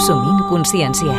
Consumint consciència.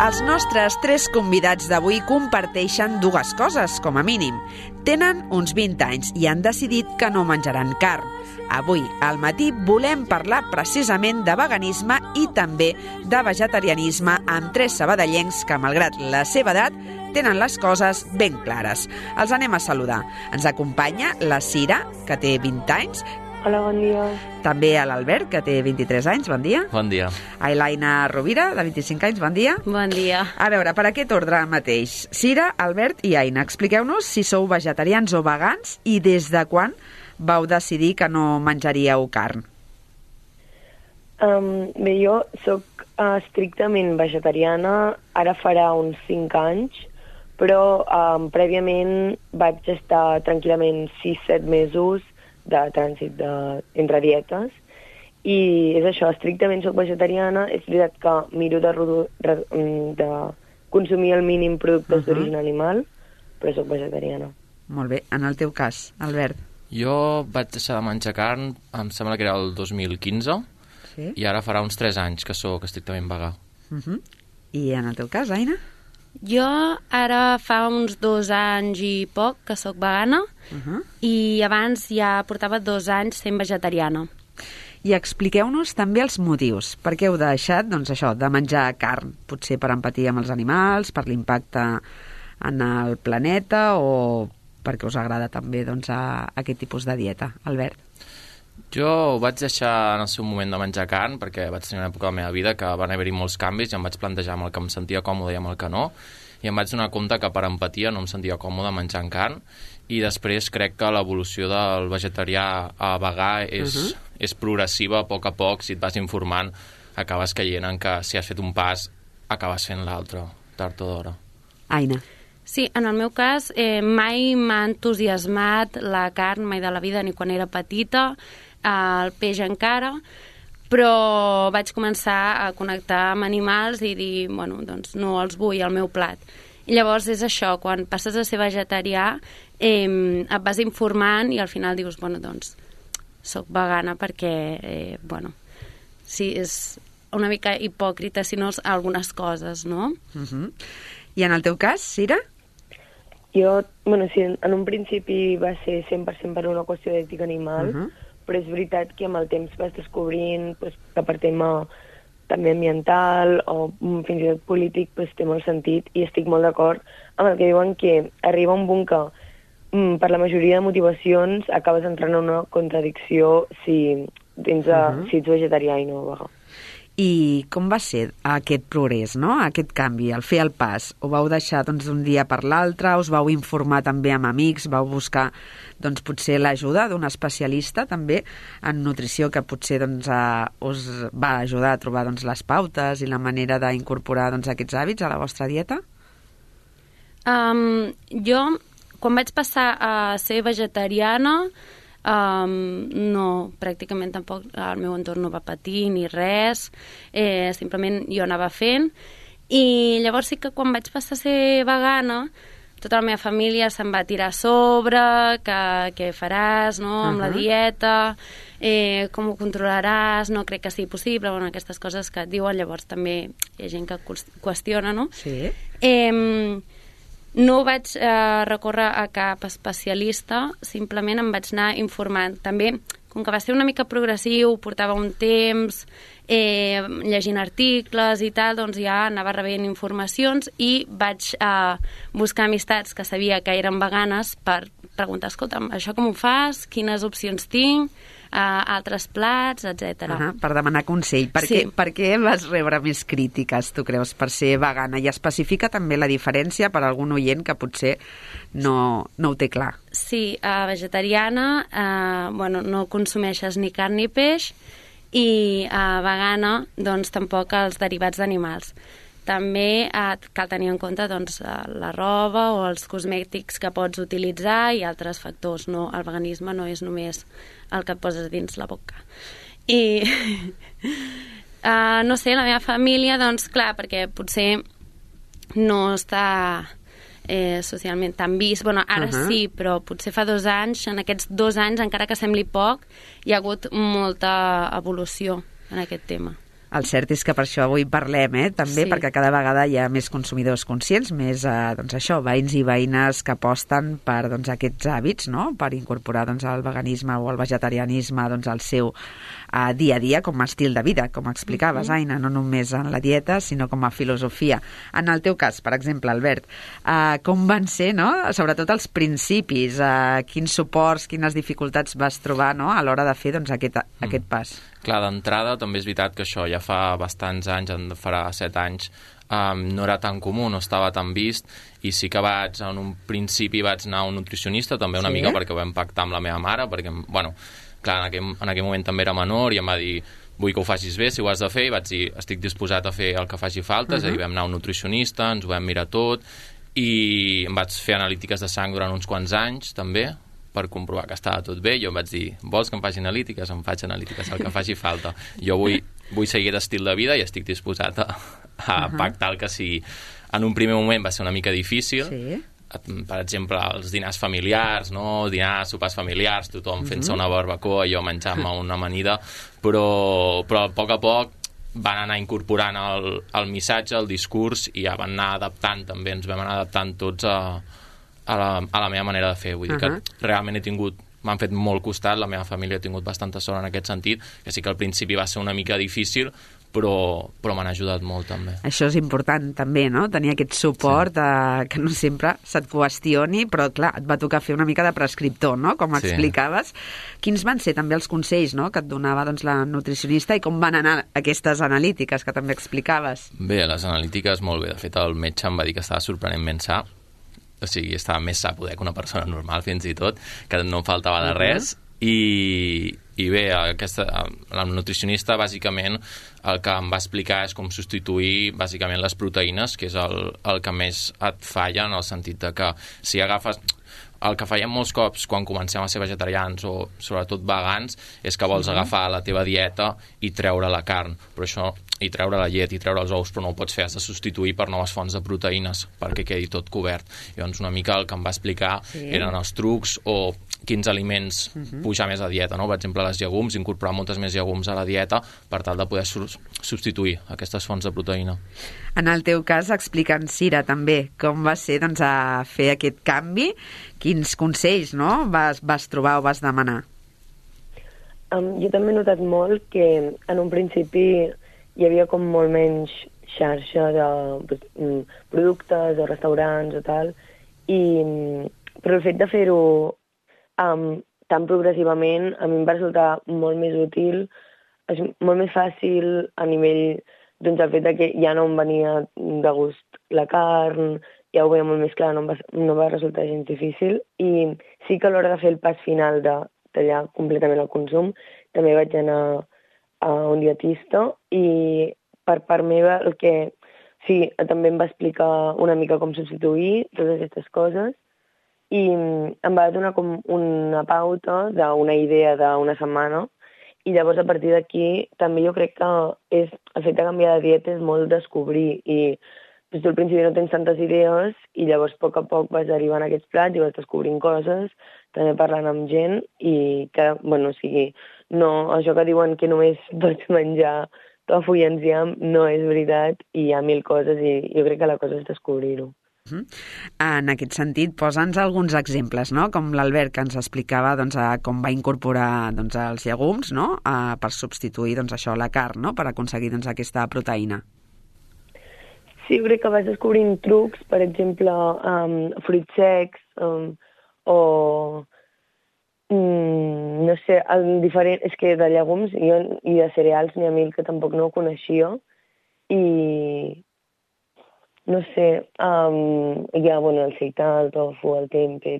Els nostres 3 convidats d'avui comparteixen 2 coses, com a mínim. Tenen uns 20 anys i han decidit que no menjaran carn. Avui, al matí, volem parlar precisament de veganisme i també de vegetarianisme amb 3 sabadellencs que, malgrat la seva edat, tenen les coses ben clares. Els anem a saludar. Ens acompanya la Cira, que té 20 anys. Hola, bon dia. També a l'Albert, que té 23 anys. Bon dia. Bon dia. A l'Aina Rovira, de 25 anys. Bon dia. Bon dia. A veure, per aquest ordre mateix. Cira, Albert i Aina, expliqueu-nos si sou vegetarians o vegans i des de quan vau decidir que no menjaríeu carn. Bé, jo sóc estrictament vegetariana, ara farà uns 5 anys, però prèviament vaig estar tranquil·lament 6-7 mesos de trànsit entre dietes, i és això, estrictament soc vegetariana. És veritat que miro de consumir el mínim productes d'origen animal, però soc vegetariana. Molt bé. En el teu cas, Albert? Jo vaig deixar de menjar carn, em sembla que era el 2015, Sí. i ara farà uns 3 anys que sóc estrictament vegà. I en el teu cas, Aina? Jo ara fa uns 2 anys i poc que sóc vegana i abans ja portava 2 anys sent vegetariana. I expliqueu-nos també els motius. Per què heu deixat, doncs això, de menjar carn? Potser per empatia amb els animals, per l'impacte en el planeta o perquè us agrada també doncs, aquest tipus de dieta. Albert? Jo vaig deixar en el seu moment de menjar carn perquè vaig tenir una època de la meva vida que van haver-hi molts canvis i em vaig plantejar amb el que em sentia còmode i amb el que no, i em vaig donar compte que per empatia no em sentia còmode menjant carn, i després crec que l'evolució del vegetarià a vegà és progressiva. A poc, si et vas informant, acabes caient en que si has fet un pas, acabes fent l'altre, tard o d'hora. Aina? Sí, en el meu cas mai m'ha entusiasmat la carn, mai de la vida, ni quan era petita, el peix encara, però vaig començar a connectar amb animals i dir, bueno, doncs no els vull al meu plat. I llavors és això, quan passes a ser vegetarià et vas informant i al final dius, bueno, doncs soc vegana perquè, bueno, sí, és una mica hipòcrita, si no algunes coses, no? I en el teu cas, Cira? Jo, bueno, sí, en un principi va ser 100% per una qüestió d'ètica animal, però és veritat que amb el temps vas descobrint que per tema també ambiental o fins i tot polític té molt sentit, i estic molt d'acord amb el que diuen que arriba un punt que per la majoria de motivacions acabes entrant en una contradicció si ets vegetarià i no vegà. I com va ser aquest progrés, no? Aquest canvi, el fer el pas? Ho vau deixar d'un dia per l'altre? Us vau informar també amb amics? Vau buscar potser l'ajuda d'un especialista també en nutrició que potser us va ajudar a trobar les pautes i la manera d'incorporar aquests hàbits a la vostra dieta? Jo, quan vaig passar a ser vegetariana, no, pràcticament tampoc el meu entorn no va patir ni res, simplement jo anava fent, i llavors sí que quan vaig passar a ser vegana tota la meva família se'n va tirar a sobre, que què faràs, no?, amb la dieta, com ho controlaràs, no crec que sigui possible, bueno, aquestes coses que et diuen. Llavors també hi ha gent que qüestiona, no? Sí. No vaig recórrer a cap especialista, simplement em vaig anar informant. També, com que va ser una mica progressiu, portava un temps llegint articles i tal, doncs ja anava rebent informacions i vaig buscar amistats que sabia que eren veganes per preguntar, escolta'm, això com ho fas? Quines opcions tinc? Altres plats, etc. Per demanar consell. Per què vas rebre més crítiques, tu creus, per ser vegana? I especifica també la diferència per a algun oient que potser no ho té clar. Sí, vegetariana, no consumeixes ni carn ni peix, i vegana, doncs tampoc els derivats d'animals. També cal tenir en compte la roba o els cosmètics que pots utilitzar i altres factors. No, el veganisme no és només el que et poses dins la boca. I no sé, la meva família, doncs clar, perquè potser no està socialment tan vist. Bueno, ara sí, però potser fa 2 anys, en aquests 2 anys, encara que sembli poc, hi ha hagut molta evolució en aquest tema. El cert és que per això avui parlem, també, Sí. perquè cada vegada hi ha més consumidors conscients, més, doncs això, veïns i veïnes que aposten per aquests hàbits, no?, per incorporar el veganisme o el vegetarianisme al seu dia a dia com a estil de vida, com explicaves, Aina, no només en la dieta, sinó com a filosofia. En el teu cas, per exemple, Albert, com van ser, no?, sobretot els principis, quins suports, quines dificultats vas trobar, no?, a l'hora de fer aquest pas? Clar, d'entrada també és veritat que això ja fa bastants anys, farà 7 anys, no era tan comú, no estava tan vist, i sí que en un principi vaig anar a un nutricionista, també una mica perquè ho vam pactar amb la meva mare, perquè, bueno, clar, en aquell moment també era menor i em va dir, vull que ho facis bé, si ho has de fer, i vaig dir, estic disposat a fer el que faci falta, és a dir, vam anar a un nutricionista, ens ho vam mirar tot, i em vaig fer analítiques de sang durant uns quants anys, també, per comprovar que estava tot bé. Jo em vaig dir, vols que em faci analítiques? Em faig analítiques, el que faci falta. Jo vull seguir l'estil de vida i estic disposat a pactar el que sigui. En un primer moment va ser una mica difícil, per exemple, els dinars familiars, no? Dinars, sopars familiars, tothom fent-se una barbacoa i jo menjant-me una amanida, però a poc van anar incorporant el missatge, el discurs, i ja van anar adaptant també, ens vam anar adaptant tots a la meva manera de fer. Vull dir que realment m'han fet molt costat, la meva família ha tingut bastanta sort en aquest sentit, que sí que al principi va ser una mica difícil, però m'han ajudat molt també. Això és important també, no?, tenir aquest suport, que no sempre se't qüestioni, però clar, et va tocar fer una mica de prescriptor, no?, com explicaves. Quins van ser també els consells, no?, que et donava la nutricionista, i com van anar aquestes analítiques que també explicaves? Bé, les analítiques molt bé. De fet, el metge em va dir que estava sorprenentment sa, o sigui, estava més sa poder que una persona normal, fins i tot, que no em faltava de res, i bé, la nutricionista bàsicament el que em va explicar és com substituir bàsicament les proteïnes, que és el que més et falla, en el sentit de que si agafes... El que fèiem molts cops quan comencem a ser vegetarians o sobretot vegans és que vols agafar la teva dieta i treure la carn, però això, i treure la llet i treure els ous, però no ho pots fer, has de substituir per noves fonts de proteïnes perquè quedi tot cobert. Llavors una mica el que em va explicar eren els trucs o quins aliments pujar més a dieta, no? Per exemple, les llegums, incorporar moltes més llegums a la dieta per tal de poder substituir aquestes fonts de proteïna. En el teu cas, explica'ns, Cira, també, com va ser a fer aquest canvi, quins consells, no?, vas trobar o vas demanar? Jo també he notat molt que en un principi hi havia com molt menys xarxa de productes o restaurants o tal, però el fet de fer-ho tan progressivament a mi em va resultar molt més útil, és molt més fàcil a nivell el fet que ja no em venia de gust la carn, ja ho veia molt més clar, no va resultar gens difícil, i sí que a l'hora de fer el pas final de tallar completament el consum també vaig anar a un dietista, i per part meva també em va explicar una mica com substituir totes aquestes coses, i em va donar com una pauta d'una idea d'una setmana, i llavors a partir d'aquí també jo crec que el fet de canviar de dieta és molt descobrir, i tu al principi no tens tantes idees i llavors a poc vas derivant aquests plats i vas descobrint coses, també parlant amb gent, i que, no, això que diuen que només pots menjar tofu i enciam no és veritat, i hi ha 1000 coses, i jo crec que la cosa és descobrir-ho. En aquest sentit, posa'ns alguns exemples, no?, com l'Albert, que ens explicava com va incorporar els llegums, no?, per substituir això, la carn, no?, per aconseguir aquesta proteïna. Sí, jo crec que vas descobrint trucs, per exemple, fruits secs, o no sé, és que de llegums i de cereals n'hi ha 1000 que tampoc no ho coneixia, i no sé, hi ha el seitan, el tofu, el tempe,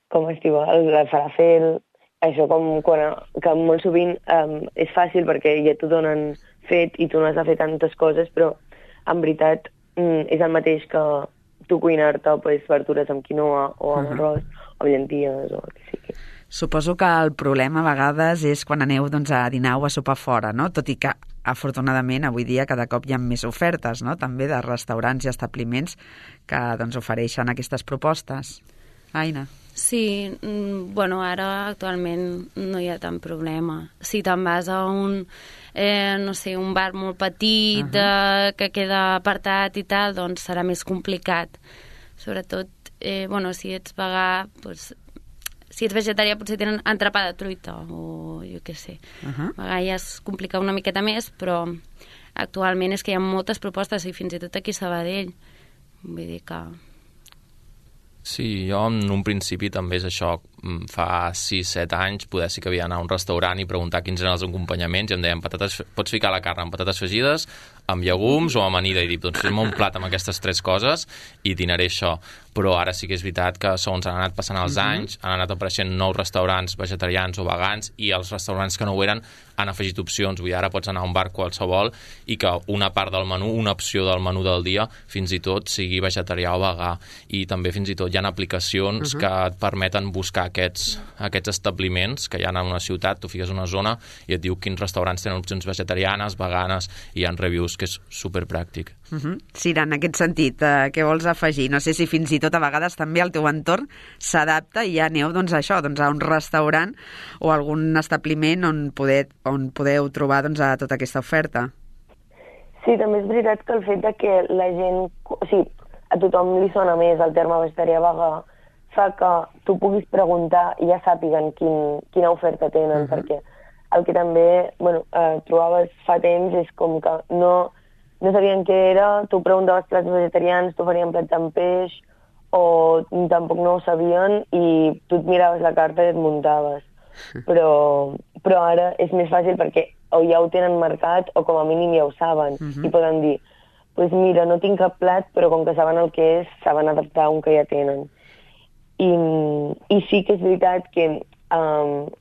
com es diu, el falafel, això que molt sovint és fàcil perquè ja t'ho donen fet i tu no has de fer tantes coses, però en veritat és el mateix que tu cuinar-te verdures amb quinoa o amb arròs o amb llenties o el que sigui. Suposo que el problema a vegades és quan aneu a dinar o a sopar fora, no? Tot i que, afortunadament, avui dia cada cop hi ha més ofertes, no?, també de restaurants i establiments que ofereixen aquestes propostes. Aina. Sí, bueno, ara actualment no hi ha tant problema. Si te'n vas a un, no sé, un bar molt petit que queda apartat i tal, doncs serà més complicat. Sobretot, bueno, si ets vegà, doncs, si ets vegetarià potser tenen entrepà de truita o jo què sé. A vegades es complica una miqueta més, però actualment és que hi ha moltes propostes i fins i tot aquí a Sabadell. Vull dir que... Sí, jo en un principi també és això, fa 6-7 anys poder sí que havia d'anar a un restaurant i preguntar quins eren els acompanyaments i em deien pots ficar la carn amb patates fregides, amb llegums o amb amanida, i dic, doncs fes-me un plat amb aquestes 3 coses i dinaré això. Però ara sí que és veritat que segons han anat passant els anys, han anat apareixent nous restaurants vegetarians o vegans i els restaurants que no ho eren han afegit opcions. Vull dir, ara pots anar a un bar qualsevol i que una part del menú, una opció del menú del dia, fins i tot sigui vegetarià o vegà. I també fins i tot hi ha aplicacions que et permeten buscar aquests establiments que hi ha en una ciutat, tu fiques una zona i et diu quins restaurants tenen opcions vegetarianes, veganes, i hi ha reviews, que és superpràctic. Sira, en aquest sentit, què vols afegir? No sé si fins i tot a vegades també el teu entorn s'adapta i ja aneu doncs, a això, doncs, a un restaurant o algun establiment on podeu trobar doncs, a tota aquesta oferta. Sí, també és veritat que el fet de que la gent... O sigui, a tothom li sona més el terme vegetarià vegà, fa que tu puguis preguntar i ja sàpiguen quina oferta tenen, perquè el que també trobaves fa temps és com que no sabien què era, tu preguntaves plats vegetarians, t'oferien plats amb peix, o tampoc no ho sabien i tu et miraves la carta i et muntaves. Però ara és més fàcil perquè o ja ho tenen marcat o com a mínim ja ho saben i poden dir pues mira, no tinc cap plat, però com que saben el que és, saben adaptar un que ja tenen. I sí que és veritat que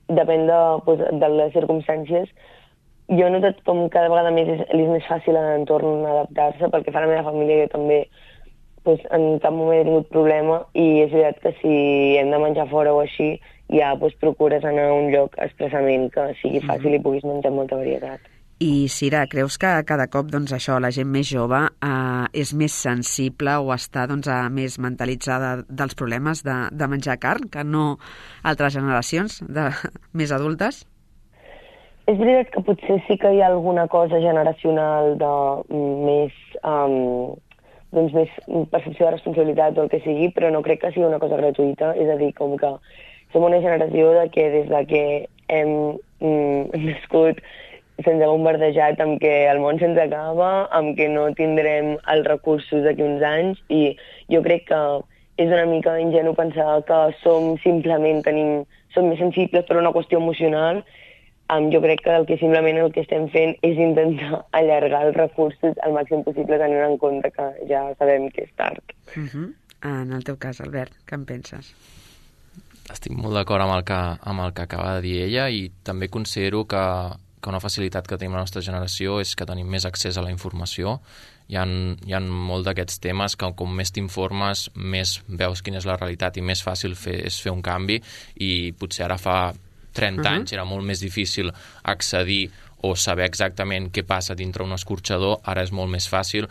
depèn de les circumstàncies. Jo he notat com cada vegada més és més fàcil a l'entorn adaptar-se, perquè fa la meva família jo també en cap moment he tingut problema i és veritat que si hem de menjar fora o així, ja procures anar a un lloc expressament que sigui fàcil i puguis menjar molta varietat. I, Sira, creus que cada cop doncs, això, la gent més jove és més sensible o està més mentalitzada dels problemes de menjar carn que no altres generacions més adultes? És veritat que potser sí que hi ha alguna cosa generacional de més percepció de responsabilitat o el que sigui, però no crec que sigui una cosa gratuïta. És a dir, com que som una generació de que des de que hem nascut se'ns ha bombardejat amb que el món se'ns acaba, amb que no tindrem els recursos d'aquí uns anys, i jo crec que és una mica ingenu pensar que som més sensibles per una qüestió emocional. Jo crec que simplement el que estem fent és intentar allargar els recursos al màxim possible, tenint en compte que ja sabem que és tard. En el teu cas, Albert, què en penses? Estic molt d'acord amb el que acaba de dir ella, i també considero que una facilitat que tenim la nostra generació és que tenim més accés a la informació. Hi ha molt d'aquests temes que com més t'informes, més veus quina és la realitat i més fàcil és fer un canvi, i potser ara fa 30 anys era molt més difícil accedir o saber exactament què passa dintre un escorxador. Ara és molt més fàcil,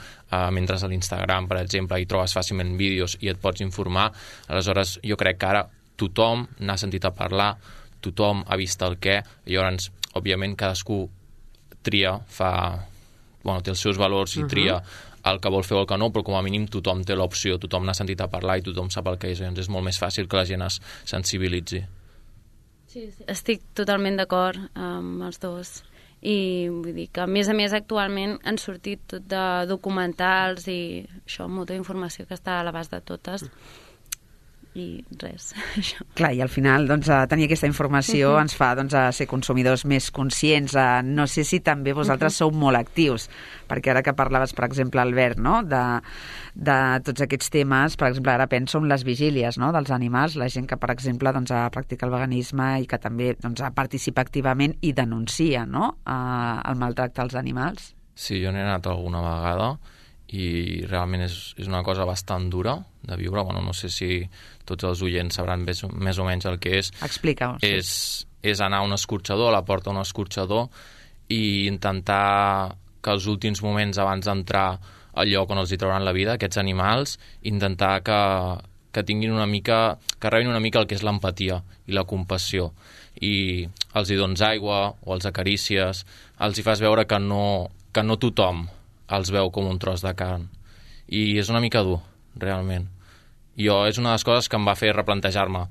mentre a l'Instagram, per exemple, hi trobes fàcilment vídeos i et pots informar. Aleshores, jo crec que ara tothom n'ha sentit a parlar, tothom ha vist el què, i llavors òbviament cadascú tria, té els seus valors i tria el que vol fer o el que no, però com a mínim tothom té l'opció, tothom n'ha sentit a parlar i tothom sap el que és, llavors és molt més fàcil que la gent es sensibilitzi. Sí. Estic totalment d'acord amb els dos, i vull dir que a més actualment han sortit tot de documentals i això, molta informació que està a l'abast de totes. I res, això. Clar, i al final tenir aquesta informació ens fa ser consumidors més conscients. No sé si també vosaltres sou molt actius, perquè ara que parlaves, per exemple, Albert, no? de tots aquests temes, per exemple, ara penso en les vigílies, no? dels animals, la gent que, per exemple, practica el veganisme i que també participa activament i denuncia, no? El maltracte als animals. Sí, jo n'he anat alguna vegada i realment és una cosa bastant dura de viure. No sé si tots els oients sabran més o menys el que és. Explica-ho. És anar a un escorxador, a la porta d'un escorxador, i intentar que els últims moments abans d'entrar al lloc on els hi trauran la vida, aquests animals, intentar que que tinguin una mica, que rebin una mica el que és l'empatia i la compassió. I els hi dones aigua o els acarícies, els hi fas veure que no tothom els veu com un tros de carn. I és una mica dur, realment. És una de les coses que em va fer replantejar-me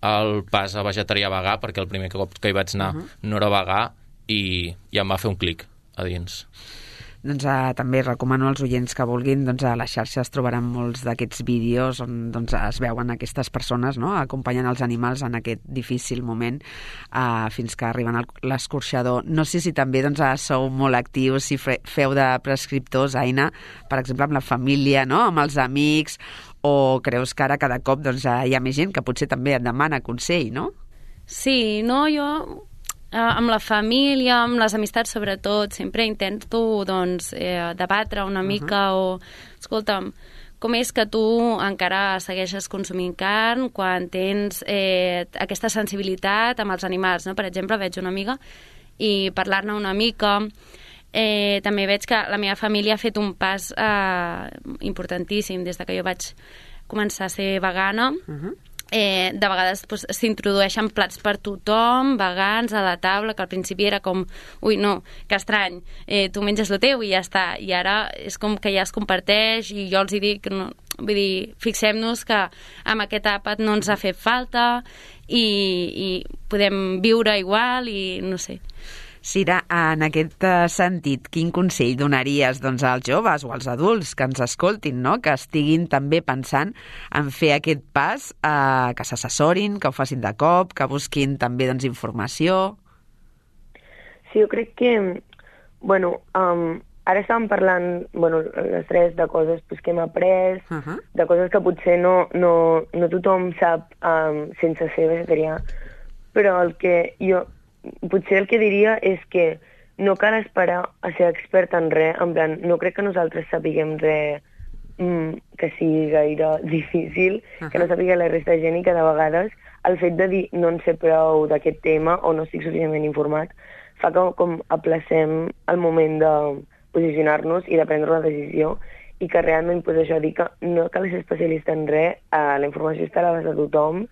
el pas a vegetarià-vegà, perquè el primer cop que hi vaig anar no era vegà i em va fer un clic a dins. Doncs també recomano als oients que vulguin, doncs a les xarxes trobaran molts d'aquests vídeos on doncs, es veuen aquestes persones, no?, acompanyant els animals en aquest difícil moment fins que arriben a l'escorxador. No sé si també doncs, sou molt actius, si feu de prescriptors, Aina, per exemple, amb la família, no?, amb els amics, o creus que ara cada cop doncs, hi ha més gent que potser també et demana consell, no? Sí, no, jo amb la família, amb les amistats sobretot, sempre intento doncs, debatre una mica o, escolta'm, com és que tu encara segueixes consumint carn quan tens aquesta sensibilitat amb els animals, no? Per exemple, veig una amiga i parlar-ne una mica. També veig que la meva família ha fet un pas importantíssim des que jo vaig començar a ser vegana. De vegades doncs, s'introdueixen plats per tothom, vegans, a la taula, que al principi era com, ui, no, que estrany, tu menges el teu i ja està, i ara és com que ja es comparteix i jo els hi dic, no, vull dir, fixem-nos que amb aquest àpat no ens ha fet falta i podem viure igual i no sé. Sira, en aquest sentit, quin consell donaries doncs, als joves o als adults que ens escoltin, no?, que estiguin també pensant en fer aquest pas, que s'assessorin, que ho facin de cop, que busquin també doncs, informació? Sí, jo crec que, ara estàvem parlant, les tres, de coses pues, que hem après, de coses que potser no tothom sap sense ser vegetarià, però potser el que diria és que no cal esperar a ser expert en res, en plan, no crec que nosaltres sapiguem res que sigui gaire difícil, que no sàpiga la resta de gent i que de vegades el fet de dir no en sé prou d'aquest tema o no estic suficientment informat fa que com aplacem el moment de posicionar-nos i de prendre una decisió i que realment pues, això dir que no cal ser especialista en res, la informació està a l'abast de tothom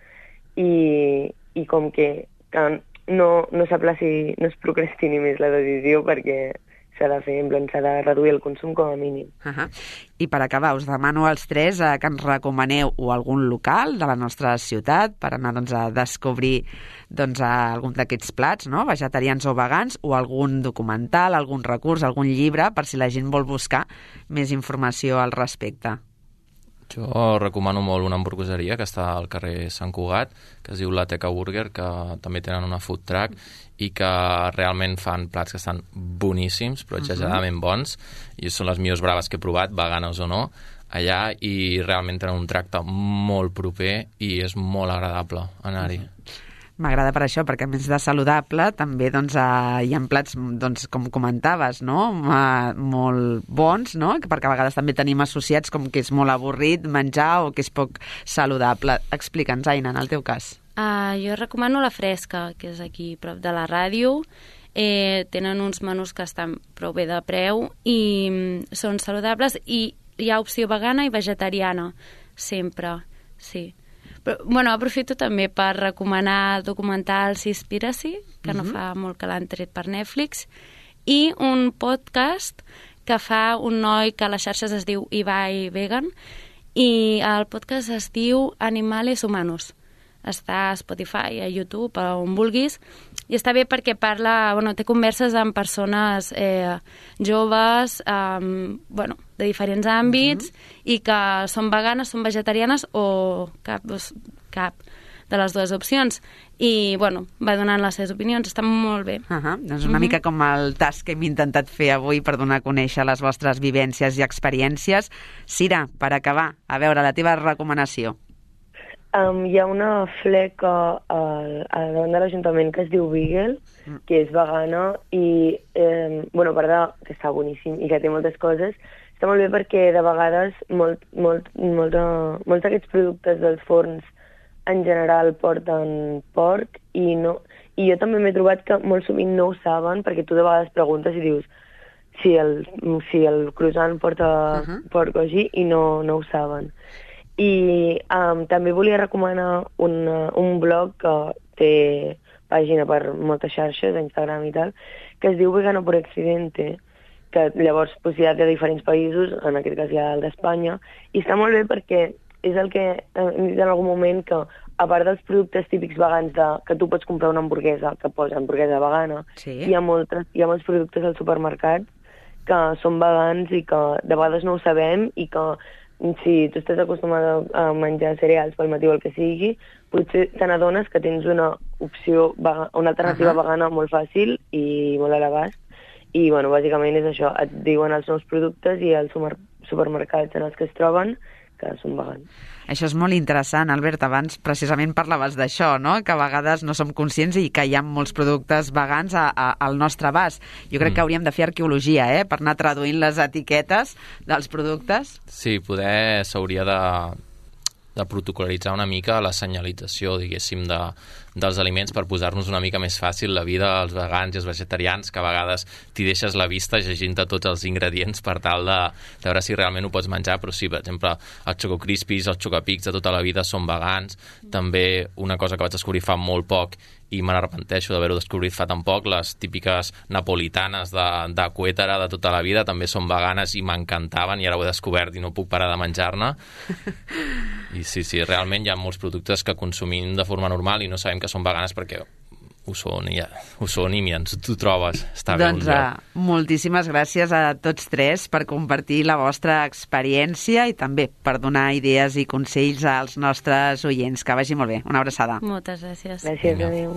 i com que no s'aplaci, no es procrastini més la decisió perquè s'ha de fer, en plan, s'ha de reduir el consum com a mínim. I per acabar, us demano als tres que ens recomaneu o algun local de la nostra ciutat per anar doncs, a descobrir doncs, algun d'aquests plats, no?, vegetarians o vegans, o algun documental, algun recurs, algun llibre, per si la gent vol buscar més informació al respecte. Jo recomano molt una hamburgueseria que està al carrer Sant Cugat, que es diu La Teca Burger, que també tenen una food truck i que realment fan plats que estan boníssims, però exageradament bons, i són les millors braves que he provat, veganes o no, allà, i realment tenen un tracte molt proper i és molt agradable anar-hi. M'agrada per això, perquè a més de saludable també doncs, hi ha plats, doncs, com comentaves, no?, molt bons, no?, perquè a vegades també tenim associats com que és molt avorrit menjar o que és poc saludable. Explica'ns, Aina, en el teu cas. Jo recomano La Fresca, que és aquí prop de la ràdio. Tenen uns menús que estan prou bé de preu i són saludables i hi ha opció vegana i vegetariana, sempre, sí. Però, aprofito també per recomanar el documental Seaspiracy, que no fa molt que l'han tret per Netflix, i un podcast que fa un noi que a les xarxes es diu Ibai Vegan, i el podcast es diu Animales Humanos. Està a Spotify, a YouTube, on vulguis, i està bé perquè parla, té converses amb persones joves, de diferents àmbits, i que són veganes, són vegetarianes o cap de les dues opcions. I, va donant les seves opinions, està molt bé. Doncs una mica com el tasc que hem intentat fer avui per donar a conèixer les vostres vivències i experiències. Sira, per acabar, a veure, la teva recomanació. Hi ha una fleca a davant de l'Ajuntament que es diu Beagle, que és vegana i, a part que està boníssim i que té moltes coses, està molt bé perquè de vegades molts d'aquests productes dels forns en general porten porc i jo també m'he trobat que molt sovint no ho saben perquè tu de vegades preguntes i dius si el croissant porta porc o així i no ho saben. I també volia recomanar un blog que té pàgina per moltes xarxes, Instagram i tal, que es diu Vegano por Accidente, que llavors hi ha de diferents països, en aquest cas hi ha el d'Espanya, i està molt bé perquè és el que hem dit en algun moment, que a part dels productes típics vegans que tu pots comprar una hamburguesa, que posa hamburguesa vegana, Sí. hi ha molts productes al supermercat que són vegans i que de vegades no ho sabem, i que si tu estàs acostumada a menjar cereals pel matí o el que sigui, potser te n'adones que tens una opció, una alternativa vegana molt fàcil i molt a l'abast. I, bueno, bàsicament és això, et diuen els nous productes i els supermercats en els que es troben que són vegans. Això és molt interessant, Albert. Abans precisament parlaves d'això, no? Que a vegades no som conscients i que hi ha molts productes vegans al nostre abast. Jo crec que hauríem de fer arqueologia, per anar traduint les etiquetes dels productes. Sí, s'hauria de protocol·litzar una mica la senyalització, diguéssim, dels aliments per posar-nos una mica més fàcil la vida als vegans i als vegetarians, que a vegades t'hi deixes la vista llegint-te tots els ingredients per tal de veure si realment ho pots menjar, però sí, per exemple, els Choco Crispies, els Chocapics de tota la vida són vegans. També una cosa que vaig descobrir fa molt poc i me n'arrepenteixo d'haver-ho descobrit fa tan poc, les típiques napolitanes de Cuétara de tota la vida també són veganes i m'encantaven, i ara ho he descobert i no puc parar de menjar-ne. I sí, realment hi ha molts productes que consumim de forma normal i no sabem que són veganes perquè ho són i mira, tu trobes. Està bé un lloc. Moltíssimes gràcies a tots tres per compartir la vostra experiència i també per donar idees i consells als nostres oients. Que vagi molt bé. Una abraçada. Moltes gràcies. Gràcies, adéu.